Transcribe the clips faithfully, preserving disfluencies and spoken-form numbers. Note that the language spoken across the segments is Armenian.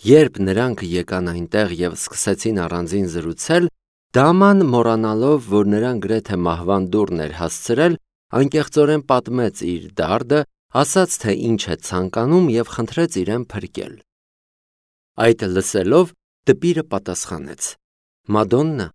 Երբ նրանք եկան այնտեղ և սկսեցին առանձին զրուցել, Դաման, մոռանալով, որ նրան գրեթե մահվան դուռն էր հասցրել, անկեղծորեն պատմեց իր դարդը, ասաց, թե ինչ է ցանկանում և խնդրեց իրեն փրկել։ Այդ լսելով, դպիրը պատասխանեց. «Մադոննա,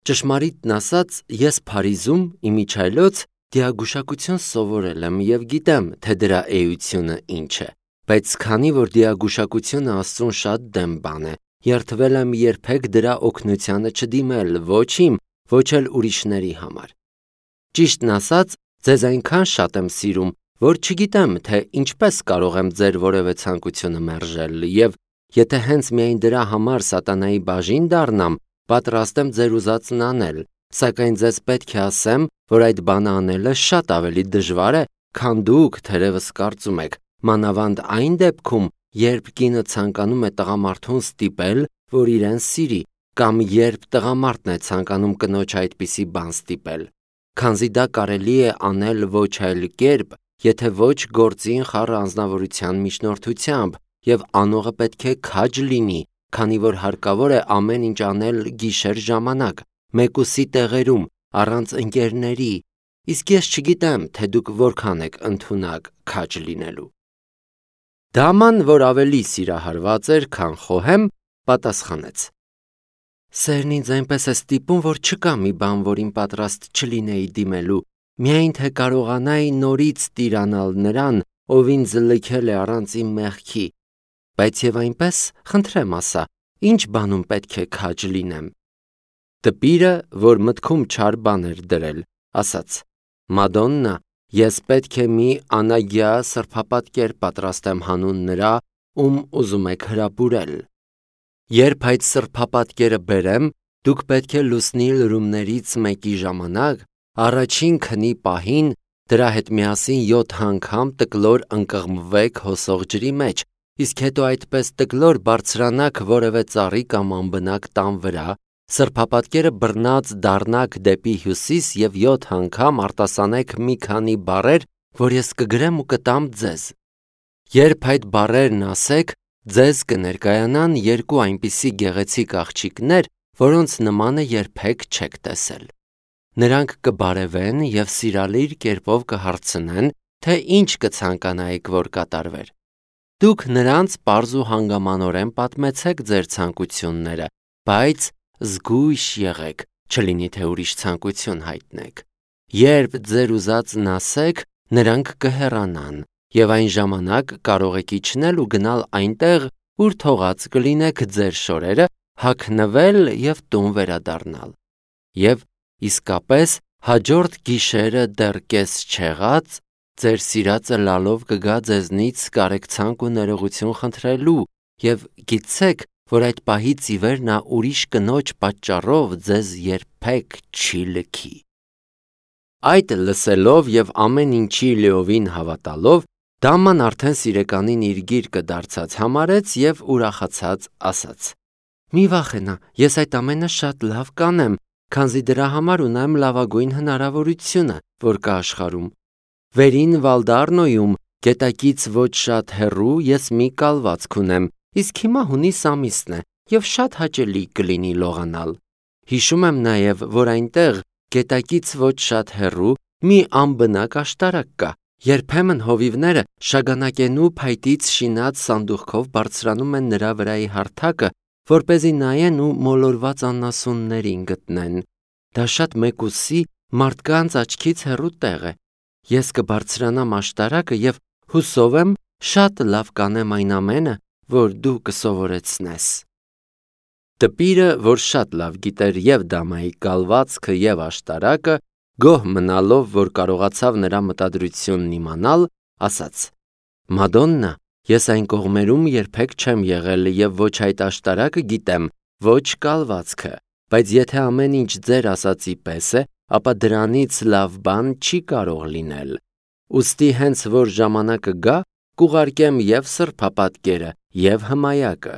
ճշմարիտն ասած, ես Փարիզում իմիջիայլոց դիագուշակություն սովորել եմ և գիտեմ, թե դրա էությունը ինչ է, բայց քանի որ դիագուշակությունը Աստծուն շատ դեմ բան է, երդվել եմ երբեք դրա օգնությանը չդիմել ոչ իմ, ոչ էլ ուրիշների համար։ Ճիշտն ասած, ձեզ այնքան շատ եմ սիրում, որ չգիտեմ, թե ինչպես կարող եմ ձեր որևէ ցանկությունը մերժել, և եթե հենց միայն դրա համար սատանայի բաժին դառնամ, պատրաստ եմ ձեր ուզածն անել, սակայն ձեզ պետք է ասեմ, որ այդ բանը անելը շատ ավելի դժվար է, քան դուք թերևս կարծում եք, մանավանդ այն դեպքում, երբ կինը ցանկանում է տղամարդուն ստիպել, որ իրեն սիրի, կամ երբ տղամարդն է ցանկանում կնոջ այդպիսի բան ստիպել, քանզի դա կարելի է անել ոչ այլ կերպ, եթե ոչ գործին խառը անձնավորության միջնորդությամբ, և անողը պետք է քաջ լինի, քանի որ հարկավոր է ամեն ինչ անել գիշեր ժամանակ, մեկուսի տեղերում, առանց ընկերների, իսկ ես չգիտեմ, թե դուք որքան եք ընդունակ քաջ լինելու։ Դաման, որ ավելի սիրահարված էր, քան խոհեմ, պատասխանեց. Սերն ինձ այնպես է ստիպում, որ չկա մի բան, որին պատրաստ չլինեի դիմելու, միայն թե կարողանայի նորից տիրանալ նրան, ով ինձ լքել է առանց իմ մեղքի, բայց և այնպես, խնդրեմ ասա, ինչ բանում պետք է քաջ լինեմ։ Տպիրը, որ մտքում չար բան էր դրել, ասաց. Մադոննա, ես պետք է մի անագյա սրբապատկեր պատրաստեմ հանուն նրա, ում ուզում եք հրապուրել։ Երբ այդ սրբապատկերը բերեմ, դուք պետք է լուսնի լրումներից մեկի ժամանակ, առաջին քնի պահին, դրա հետ միասին յոթ անգամ տկլոր ընկղմվեք հոսող ջրի մեջ, իսկ հետո այդպես տկլոր բարձրանաք որևէ ծառի կամ անբնակ տան վրա, սրբապատկերը բռնած դառնաք դեպի հյուսիս և յոթ անգամ արտասանեք մի քանի բառեր, որ ես կգրեմ ու կտամ ձեզ։ Երբ այդ բառերն ասեք, ձեզ կներկայանան երկու այնպիսի գեղեցիկ աղջիկներ, որոնց նմանը երբեք չեք տեսել։ Նրանք կբարևեն և սիրալիր կերպով կհարցնեն, թե ինչ կցանկանայիք, որ կատարվեր։ Դուք նրանց պարզ ու հանգամանորեն պատմեցեք ձեր ցանկությունները, բայց զգույշ եղեք, չլինի թե ուրիշ ցանկություն հայտնեք։ Երբ ձեր ուզածն ասեք, նրանք կհեռանան, և այն ժամանակ կարող եք իջնել ու գնալ այնտեղ, ուր թողած կլինեք ձեր շորերը, հագնվել և տուն վերադառնալ։ Եվ իսկապես հաջորդ գիշերը դեռ կես չեղած, ձեր սիրածը լալով կգա ձեզնից կարեկցանք ու ներողություն խնդրելու, և գիտցեք, որ այդ պահից ի վեր նա ուրիշ կնոջ պատճառով ձեզ երբեք չի լքի։ Այդ լսելով և ամեն ինչի լիովին հավատալով, Դաման արդեն սիրեկանին իր գիրկը դարձած համարեց և ուրախացած ասաց. Մի վախենա, ես այդ ամենը շատ լավ կանեմ, քանզի դրա համար ունեմ լավագույն հնարավորությունը, որ կա աշխարհում։ Վերին Վալդառնոյում, գետակից ոչ շատ հեռու, ես մի կալվածք ունեմ, իսկ հիմա հունիս ամիսն է, և շատ հաճելի կլինի լողանալ։ Հիշում եմ նաև, որ այնտեղ, գետակից ոչ շատ հեռու, մի անբնակ աշտարակ կա։ Երբեմն հովիվները շագանակենու փայտից շինած սանդուղքով բարձրանում են նրա վրայի հարթակը, որպեսզի նայեն ու մոլորված անասուններին գտնեն։ Դա շատ մեկուսի մարդկանց աչքից հեռու տեղ է։ Ես կբարձրանամ աշտարակը և հուսով եմ շատ լավ կանեմ այն ամենը, որ դու կսովորեցնես։ Տպիրը, որ շատ լավ գիտեր և դամայի կալվածքը և աշտարակը, գոհ մնալով, որ կարողացավ նրա մտադրությունն իմանալ, ասաց. Մադոննա, ես այն կողմերում երբեք չեմ եղել և ոչ այդ աշտարակը գիտեմ, ոչ կալվածքը, բայց եթե ամեն ինչ ձեր ասածի պես է, ապա դրանից լավ բան չի կարող լինել։ Ուստի հենց որ ժամանակը գա, կուղարկեմ և սրբապատկերը, և հմայակը։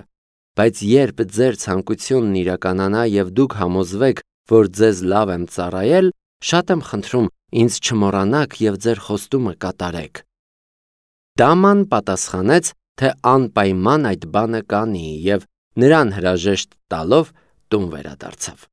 Բայց երբ ձեր ցանկությունն իրականանա և դուք համոզվեք, որ ձեզ լավ եմ ծառայել, շատ եմ խնդրում, ինձ չմոռանաք և ձեր խոստումը կատարեք։ Դաման պատասխանեց, թե անպայման այդ բանը կանի և նրան հրաժեշտ տալով տուն վերադարձավ։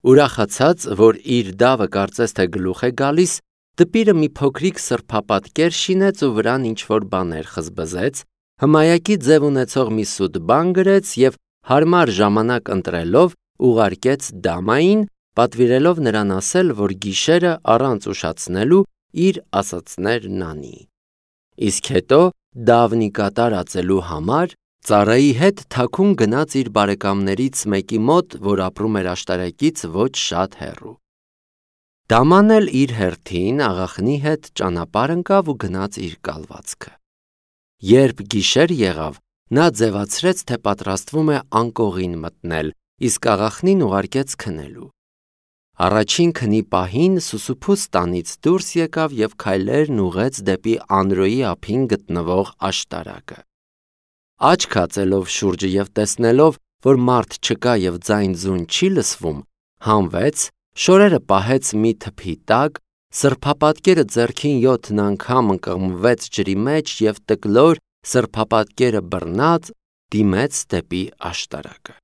Ուրախացած, որ իր դավը կարծես թե գլուխ է գալիս, դպիրը մի փոքրիկ սրբապատկեր շինեց ու վրան ինչ-որ բաներ խզբզեց, հմայակի ձև ունեցող մի սուտ բան գրեց և հարմար ժամանակ ընտրելով ուղարկեց դամային, պատվիրելով նրան ասել, որ գիշերը առանց ուշացնելու իր ասածներն անի։ Իսկ հետո դավն ի կատար ածելու համար ծառայի հետ թաքուն գնաց իր բարեկամներից մեկի մոտ, որ ապրում էր աշտարակից ոչ շատ հեռու։ Դաման էլ իր հերթին աղախնի հետ ճանապարհ ընկավ ու գնաց իր կալվածքը։ Երբ գիշեր եղավ, նա ձևացրեց, թե պատրաստվում է անկողին մտնել, իսկ աղախնին ուղարկեց քնելու։ Առաջին քնի պահին Սուսուփուս տանից դուրս եկավ և քայլերն ուղղեց դեպի Անրոյի ափին գտնվող աշտարակը։ Աչք հածելով շուրջը և տեսնելով, որ մարդ չկա և ձայն-ձուն չի լսվում, հանվեց, շորերը պահեց մի թփի տակ, սրբապատկերը ձեռքին յոթ անգամ ընկղմվեց ջրի մեջ և տկլոր սրբապատկերը բռնած դիմեց դեպի աշտարակը։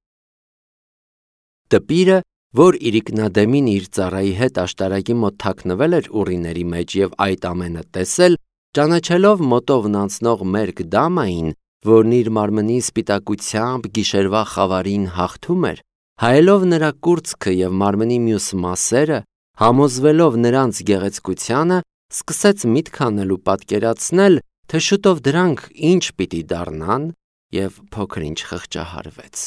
Դպիրը, որ իրիկնադեմին իր ծառայի հետ աշտարակի մոտ թաքնվել էր ուռիների մեջ և այդ ամենը տեսել, ճանաչելով մոտովն անցնող մերկ դամային, որն իր մարմնի սպիտակությամբ գիշերվա խավարին հաղթում էր, հայելով նրա կուրծքը և մարմնի մյուս մասերը, համոզվելով նրանց գեղեցկությանը, սկսեց միտք անել ու պատկերացնել, թե շուտով դրանք ինչ պիտի դառնան, և փոքր-ինչ խղճահարվեց։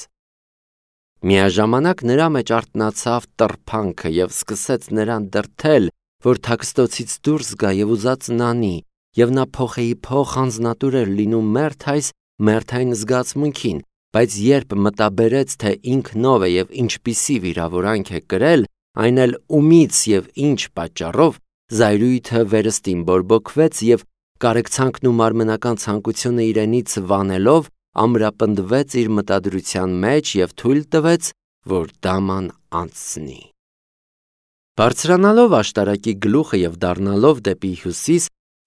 Միաժամանակ նրա մեջ արթնացավ տրփանքը և սկսեց նրան դրդել, որ թաքստոցից դուրս գա և ուզածն անի, և նա փոխեի փոխ անձնատուր էր լինում մերթ այս մերթային զգացմունքին, բայց երբ մտաբերեց, թե ինքնով է և ինչպիսի վիրավորանք է կրել, այն էլ ումից և ինչ պատճառով, զայրույթը վերստին բորբոքվեց և կարեկցանքն ու մարմնական ցանկությունը իրենից վանելով ամրապնդվեց իր մտադրության մեջ և թույլ տվեց, որ դաման անցնի։ Բարձրանալով աշտարակի գլուխը և դառնալով դեպի հյուսիս,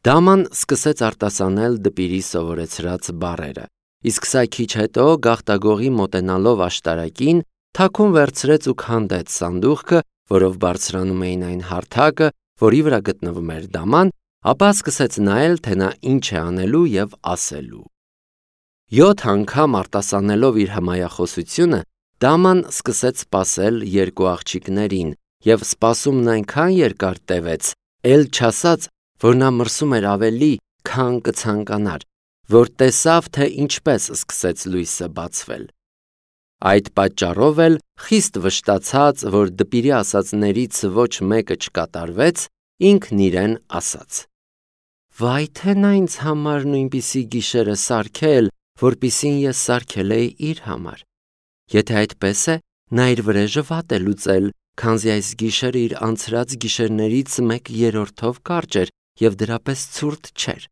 դաման սկսեց արտասանել դպիրի սովորեցրած բառերը, իսկ սա քիչ հետո գաղտագողի մոտենալով աշտարակին, թաքուն վերցրեց ու քանդեց սանդուղքը, որով բարձրանում էին այն հարթակը, որի վրա գտնվում էր դաման, ապա սկսեց նայել, թե նա ինչ է անելու և ասելու։ Յոթ անգամ արտասանելով իր հմայախոսությունը, դաման սկսեց սպասել երկու աղջիկներին, և սպասումն այնքան երկար տևեց, էլ չասած, որ նա մրսում էր ավելի, քան կցանկանար, որ տեսավ, թե ինչպես սկսեց լույսը բացվել։ Այդ պատճառով էլ, խիստ վշտացած, որ դպիրի ասածներից ոչ մեկը չկատարվեց, ինքն իրեն ասաց. «Վայ, թե նա ինձ համար նույնպիսի գիշեր է սարքել, որպիսին ես սարքել էի իր համար։ Եթե այդպես է, նա իր վրեժը վատ է լուծել, քանզի այս գիշերը իր անցրած գիշերներից մեկ երրորդով կարճ էր և դրապես ցուրտ չէր»։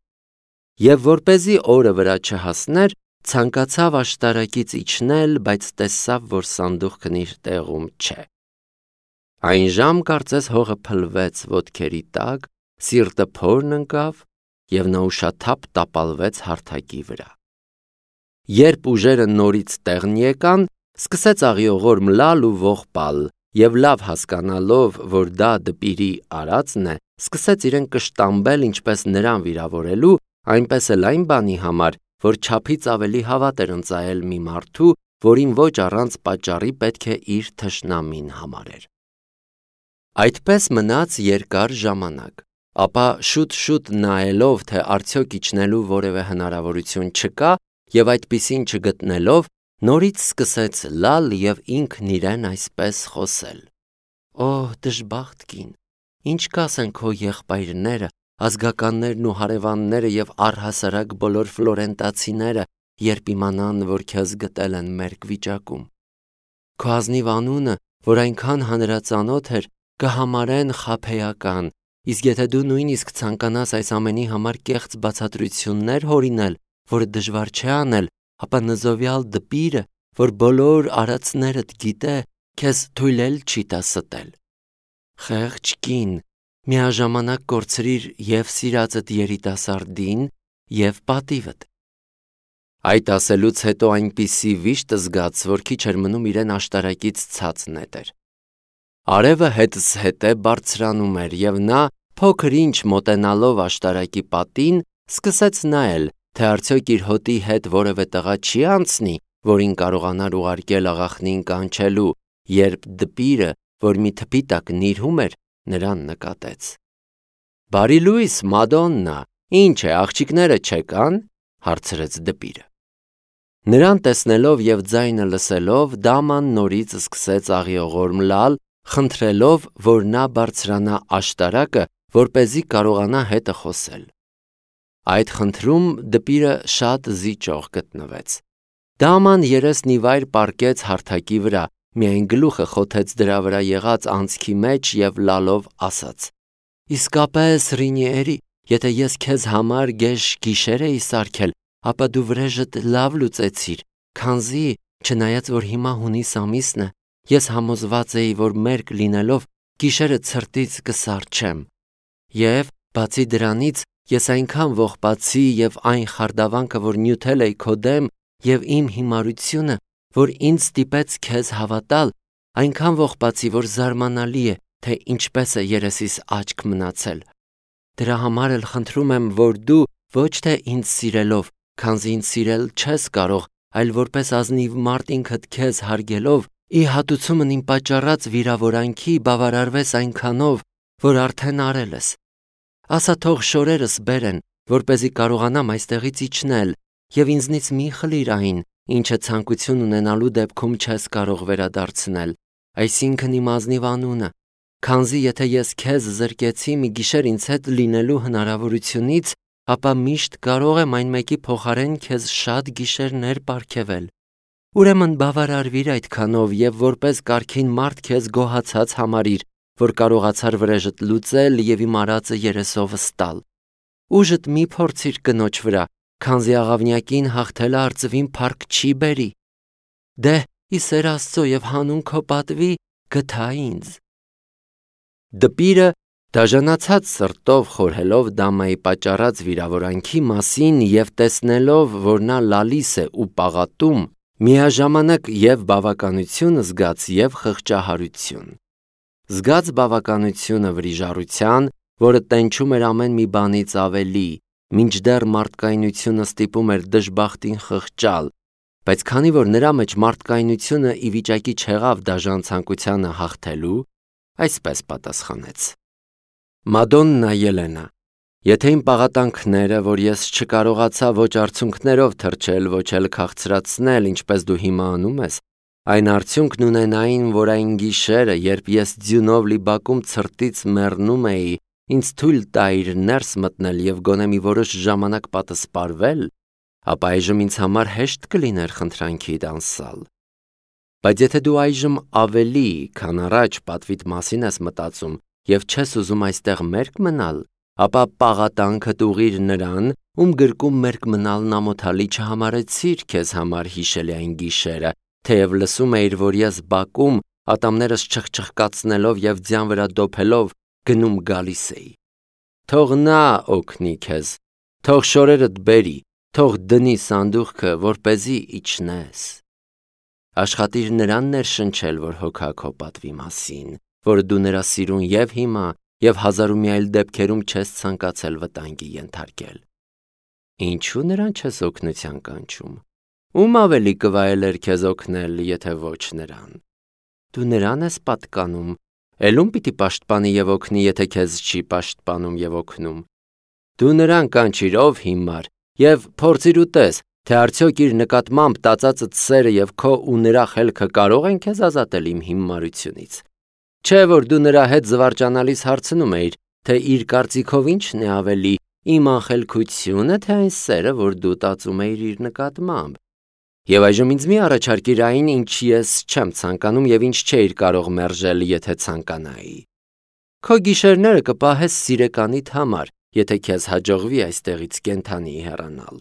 Եվ որպեսզի օրը վրա չհասներ, ցանկացավ աշտարակից իջնել, բայց տեսավ, որ սանդուղքն իր տեղում չէ։ Այն ժամ կարծես հողը փլվեց ոտքերի տակ, սիրտը փորն ընկավ, և նա ուշաթափ տապալվեց հարթակի վրա։ Երբ ուժերը նորից տեղն եկան, սկսեց աղիողոր մլալ ու ողբալ, և լավ հասկանալով, որ դա դպիրի արածն է, սկսեց իրեն կշտամբել ինչպես նրան վիրավորելու, այնպես էլ այն բանի համար, որ չափից ավելի հավատ էր ընծայել մի մարդու, որին ոչ առանց պատճառի պետք է իր թշնամին համարեր։ Այդպես մնաց երկար ժամանակ, ապա շուտ-շուտ նայելով, թե արդյոք իջնելու որևէ հնարավորություն չկա, և այդպիսին չգտնելով, նորից սկսեց լալ և ինքն իրեն այսպես խոսել. «Օհ, դժբախտ կին, ինչ կասեն քո եղբայրները, ազգականներն ու հարևանները և առհասարակ բոլոր ֆլորենտացիները, երբ իմանան, որ քեզ գտել են մերկ վիճակում։ Քո ազնիվ անունը, որ այնքան հանրածանոթ էր, կհամարեն խաբեական, իսկ եթե դու նույնիսկ ցանկանաս այս ամենի համար կեղծ բացատրություններ հորինել, որը դժվար չէ անել, ապա նզովյալ դպիրը, որ բոլոր արածներդ գիտե, քեզ թույլ էլ չի տա ստել։ Խեղճ կին, միաժամանակ կորցրիր և սիրածդ երիտասարդին և պատիվդ։ Այդ ասելուց հետո այնպիսի վիշտ զգաց, որ քիչ էր մնում իրեն աշտարակից ցած նետեր։ Արևը հետզհետե բարձրանում էր, և նա, փոքր-ինչ մոտենալով աշտարակի պատին, սկսեց նայել, թե արդյոք իր հոտի հետ որևէ տղա չի անցնի, որին կարողանար ուղարկել աղախնին կանչելու, երբ դպիրը, որ մի թփի տակ նիրհում էր, նրան նկատեց։ «Բարի լույս, Մադոննա, ինչ է, աղջիկները չեկան?» հարցրեց դպիրը։ Նրան տեսնելով և ձայնը լսելով, դաման նորից սկսեց աղիողորմ լալ, խնդրելով, որ նա բարձրանա աշտարակը, որպեսզի կարողանա հետը խոսել։ Այդ խնդրում դպիրը շատ զիջող գտնվեց։ Դաման երեսն ի վայր պառկեց հարթակի վրա, միայն գլուխը խոթեց դրա վրա եղած անցքի մեջ և լալով ասաց. «Իսկապես, Ռինիերի, եթե ես քեզ համար գեշ գիշեր էի սարքել, ապա դու վրեժդ լավ լուծեցիր, քանզի, չնայած որ հիմա հունիս ամիսն է, ես համոզված էի, որ մերկ լինելով գիշերը ցրտից կսառչեմ։ Եվ, բացի դրանից, ես այնքան ողբացի և այն խարդավանքը, որ նյութել էի քո դեմ, և իմ հիմարությունը, որ ինձ ստիպեց քեզ հավատալ, այնքան ողբացի, որ զարմանալի է, թե ինչպես է երեսիս աչք մնացել։ Դրա համար էլ խնդրում եմ, որ դու ոչ թե ինձ սիրելով, քանզի ինձ սիրել չես կարող, այլ որպես ազնիվ մարդ ինքդ քեզ հարգելով, ի հատուցումն իմ պատճառած վիրավորանքի բավարարվես այնքանով, որ արդեն արել ես։ Ասա թող շորերս բերեն, որպեսզի կարողանամ այստեղից իջնել, և ինձնից մի խլիր այն, ինչը ցանկություն ունենալու դեպքում չես կարող վերադարձնել, այսինքն իմ ազնիվ անունը, քանզի եթե ես քեզ զրկեցի մի գիշեր ինձ հետ լինելու հնարավորությունից, ապա միշտ կարող եմ այն մեկի փոխարեն քեզ շատ գիշերներ պարգևել։ Ուրեմն բավարարվիր այդքանով և որպես կարգին մարդ քեզ գոհացած համարիր, որ կարողացար վրեժդ լուծել և իմ արածը երեսովս տալ։ Ուժդ մի փորձիր կնոջ վրա, քանզի աղավնյակին հաղթելը արծվին փառք չի բերի։ Դե, ի սեր Աստծո և հանուն քո պատվի, գթա ինձ։ Դպիրը, դաժանացած սրտով խորհելով դամայի պատճառած վիրավորանքի մասին և տեսնելով, որ նա լալիս է ու պաղատում, միաժամանակ և բավականություն զգաց և խղճահարություն։ Զգաց բավականությունը վրիժառության, որը տենչում էր ամեն մի բանից ավելի, մինչդեռ մարդկայնությունը ստիպում էր դժբախտին խղճալ, բայց քանի որ նրա մեջ մարդկայնությունը ի վիճակի չեղավ դաժան ցանկությանը հաղթելու, այսպես պատասխանեց. Մադոննա Ելենա, եթե իմ պաղատանքները, որ ես չկարողացա ոչ արցունքներով թրջել, ոչ էլ քաղցրացնել, ինչպես դու հիմա անում ես, այն արդյունքն ունենային, որ այն գիշերը, երբ ես ձյունով լի բակում ցրտից մեռնում էի, ինձ թույլ տայիր ներս մտնել և գոնե մի որոշ ժամանակ պատսպարվել, ապա այժմ ինձ համար հեշտ կլիներ խնդրանքիդ անսալ։ Բայց եթե դու այժմ ավելի, քան առաջ պատվիդ մասին ես մտածում և չես ուզում այստեղ մերկ մնալ, ապա պաղատանքդ ուղղիր նրան, ում գրկում մերկ մնալն ամոթալի չհամարեցիր քեզ համար հիշելի այն գիշերը, թեև լսում էիր, որ ես բակում, ատամներս չխչխկացնելով և ձյան վրա դոփելով, գնում գալիս էի։ Թող նա օգնի քեզ, թող շորերդ բերի, թող դնի սանդուղքը, որպեսզի իջնես։ Աշխատիր նրան ներշնչել, որ հոգա քո պատվի մասին, որ դու նրա սիրուն և հիմա, և հազար ու մի այլ դեպքերում չես ցանկացել վտանգի ենթարկել։ Ինչու նրան չես օգնության կանչում։ Ում ավելի կվայելեր քեզ օգնել, եթե ոչ նրան։ Դու նրան ես պատկանում, էլ ում պիտի պաշտպանի և օգնի, եթե քեզ չի պաշտպանում և օգնում։ Դու նրան կանչիր, ով հիմար, և փորձիր ու տես, թե արդյոք իր նկատմամբ տածածդ սերը և քո ու նրա խելքը կարող են քեզ ազատել իմ հիմարությունից։ Չէ՞ որ դու նրա հետ զվարճանալիս հարցնում էիր, թե իր կարծիքով ի՞նչն է ավելի, իմ անխելքությո՞ւնը, թե այն սերը, որ դու տածում էիր իր նկատմամբ։ Եվ այժմ ինձ մի առաջարկիր այն, ինչ ես չեմ ցանկանում և ինչ չէիր կարող մերժել, եթե ցանկանայի։ Քո գիշերները կպահես սիրեկանիդ համար, եթե քեզ հաջողվի այստեղից կենդանի հեռանալ։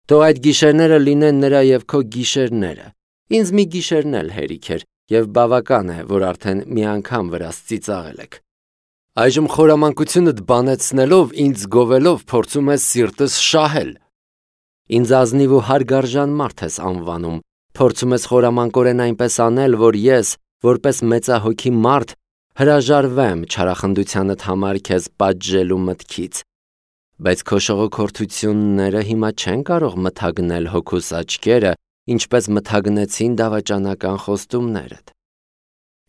Թող այդ գիշերները լինեն նրա և քո գիշերները։ Ինձ մի գիշերն էլ հերիք էր, և բավական է, որ արդեն մի անգամ վրաս ծիծաղել եք։ Այժմ խորամանկությունդ բանեցնելով, ինձ գովելով փորձում ես սիրտս շահել։ Ինձ ազնիվ ու հարգարժան մարդ ես անվանում, փորձում ես խորամանկորեն այնպես անել, որ ես, որպես մեծահոգի մարդ, հրաժարվեմ չարախնդությանդ համար քեզ պատժելու մտքից, բայց քո շողոքորթությունները հիմա չեն կարող մթագնել հոգուս աչքերը, ինչպես մթագնեցին դավաճանական խոստումներդ։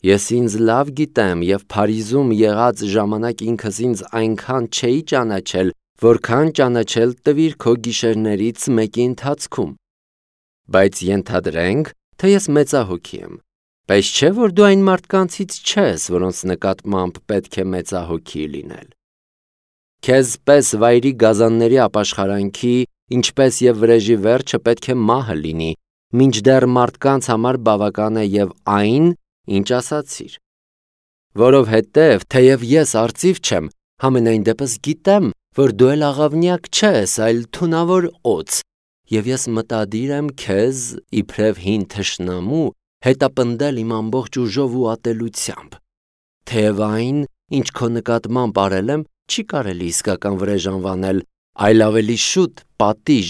Ես ինձ լավ գիտեմ և Փարիզում եղած ժամանակ ինքս ինձ այնքան չէի ճանաչել, որքան ճանաչել տվիր քո գիշերներից մեկի ընթացքում։ Բայց ենթադրենք, թե ես մեծահոգի եմ, բայց չէ, որ դու այն մարդկանցից չես, որոնց նկատմամբ պետք է մեծահոգի լինել։ Քեզ պես վայրի գազանների ապաշխարանքի, ինչպես և վրեժի վերջը պետք է մահը լինի, մինչդեռ մարդկանց համար բավական է և այն, ինչ ասացիր։ Որովհետև, թեև ես արծիվ չեմ, համենայն դեպս գիտեմ, որ դու էլ աղավնյակ չես, այլ թունավոր օձ, և ես մտադիր եմ քեզ, իբրև հին թշնամու, հետապնդել իմ ամբողջ ուժով ու ատելությամբ։ Թեև այն, ինչ քո նկատմամբ արել եմ, չի կարելի իսկական վրեժ անվանել, այլ ավելի շուտ պատիժ,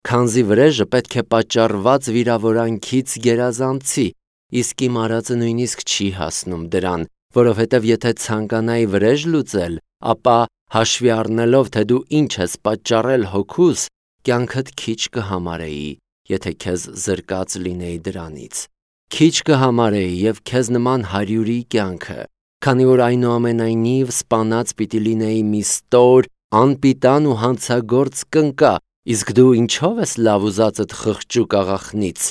քանզի վրեժը պետք է պատճառված վիրավորանքից գերազանցի, իսկ իմ արածը նույնիսկ չի հասնում դրան, որովհետև եթե ցանկանայի վրեժ լուծել, ապա հաշվի առնելով, թե դու ինչ ես պատճառել հոգուս, կյանքդ քիչ կհամարեի, եթե քեզ զրկած լինեի դրանից։ Քիչ կհամարեի և քեզ նման հարյուրի կյանքը, քանի որ այնուամենայնիվ սպանած պիտի լինեի մի ստոր, անպիտան ու հանցագործ կնկա, իսկ դու ինչով ես լավ ուզածդ խղճուկ աղախնից,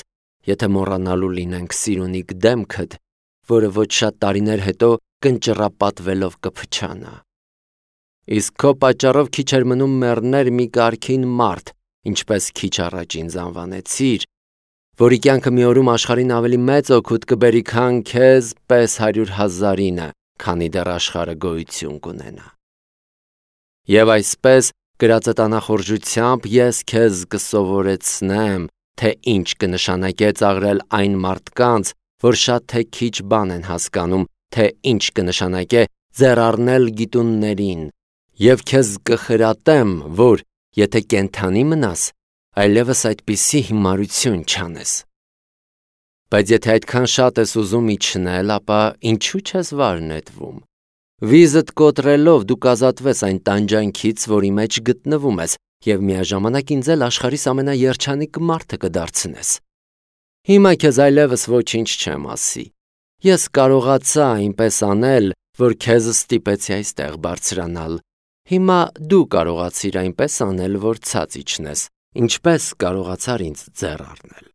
եթե մոռանալու լինենք սիրունիկ դեմքդ, որը ոչ շատ տարիներ հետո կնճռապատվելով կփչանա։ Իսկ քո պատճառով քիչ էր մնում մեռներ մի կարգին մարդ, ինչպես քիչ առաջ ինձ անվանեցիր, որի կյանքը մի օրում աշխարհին ավելի մեծ օգուտ կբերի, քան քեզ պես հարյուր հազարինը, քանի դեռ աշխարհը գոյություն կունենա։ Եվ այսպես, գրածդ անախորժությամբ ես քեզ կսովորեցնեմ, թե ինչ կնշանակե ծաղրել այն մարդկանց, որ շատ թե քիչ բան են հասկանում, թե ինչ կնշանակե ձեռ առնել գիտուններին, և քեզ կխրատեմ, որ եթե կենդանի մնաս, այլևս այդպիսի հիմարություն չանես։ Բայց եթե այդքան շատ ես ուզում իջնել, ապա ինչու չես վար նետվում։ Վիզդ կոտրելով դու կազատվես այն տանջանքից, որի մեջ գտնվում ես, և միաժամանակ ինձ էլ աշխարհիս ամենաերջանիկ մարդը կդարձնես։ Հիմա քեզ այլևս ոչինչ չեմ ասի։ Ես կարողացա այնպես անել, որ քեզ ստիպեցի այստեղ բարձրանալ։ Հիմա դու կարողացիր այնպես անել, որ ցած իջնես, ինչպես կարողացար ինձ ձեռ առնել։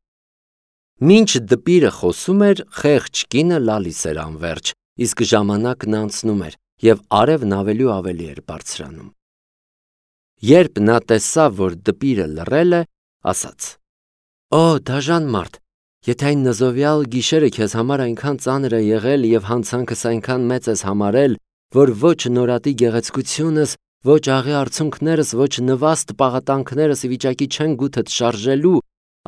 Մինչ դպիրը խոսում էր, խեղճ կինը լալիս էր անվերջ, իսկ ժամանակն անցնում էր, և արևն ավելի ու ավելի էր բարձրանում։ Երբ նա տեսավ, որ դպիրը լռել է, ասաց. «Օ, դաժան մարդ, եթե այն նզովյալ գիշերը քեզ համար այնքան ծանր է եղել և հանցանքս այնքան մեծ ես համարել, որ ոչ նորատի գեղեցկությունս, ոչ աղի արցունքներս, ոչ նվաստ պաղատանքներս ի վիճակի չեն գութդ շարժելու,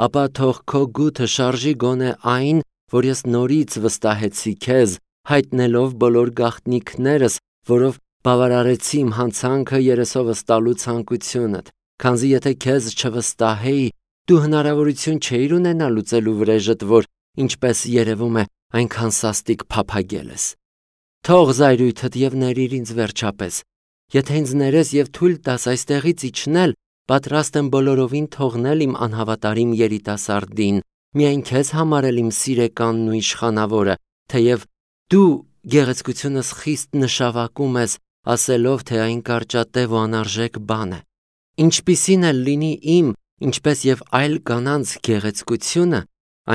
ապա թող քո գութը շարժի գոնե այն, որ ես նորից վստահեցի քեզ, հայտնելով բոլոր գաղտնիքներս, որով բավարարեցի իմ հանցանքը երեսովս տալու ցանկությունդ, քանզի եթե քեզ չվստահեի, դու հնարավորություն չէիր ունենա լուծելու վրեժդ, որ, ինչպես երևում է, այնքան սաստիկ փափագել ես։ Թող զայրույթդ և ներիր ինձ վերջապես։ Եթե ինձ ներես և թույլ տաս այստեղից իջնել, պատրաստ եմ բոլորովին թողնել իմ անհավատարիմ երիտասարդին, միայն քեզ համարել իմ սիրեկանն ու իշխանավորը, թեև դու գեղեցկությունս խիստ նշավակում ես, ասելով, թե այն կարճատև ու անարժեք բան է։ Ինչպիսին էլ լինի իմ, ինչպես և այլ կանանց գեղեցկությունը,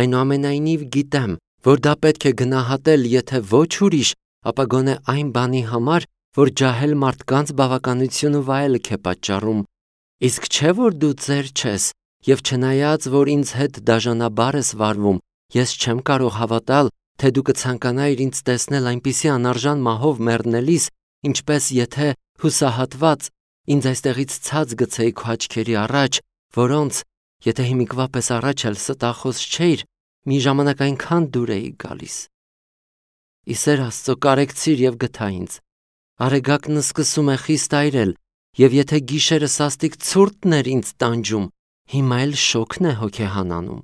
այնուամենայնիվ գիտեմ, որ դա պետք է գնահատել, եթե ոչ ուրիշ, ապա գոնե այն բանի համար, որ ջահել մարդկանց բավականություն ու վայելք է պատճառում։ Իսկ չէ՞ որ դու ծեր չես, և չնայած, որ ինձ հետ դաժանաբար ես վարվում, ես չեմ կարող հավատալ, թե դու կցանկանայիր ինձ տեսնել այնպիսի անարժան մահով մեռնելիս, ինչպես եթե հուսահատված ինձ այստեղից ցած գցեի քո աչքերի առաջ, որոնց, եթե հիմիկվա պես առաջ էլ ստախոս չէիր, մի ժամանակ այնքան դուր էի գալիս։ Ի սեր Աստծո կարեկցիր և գթա ինձ, Արեգակն սկսում է խիստ այրել, եւ եթե գիշերը սաստիկ ցուրտն էր ինձ տանջում, հիմա էլ շոգն է հոգեհանանում։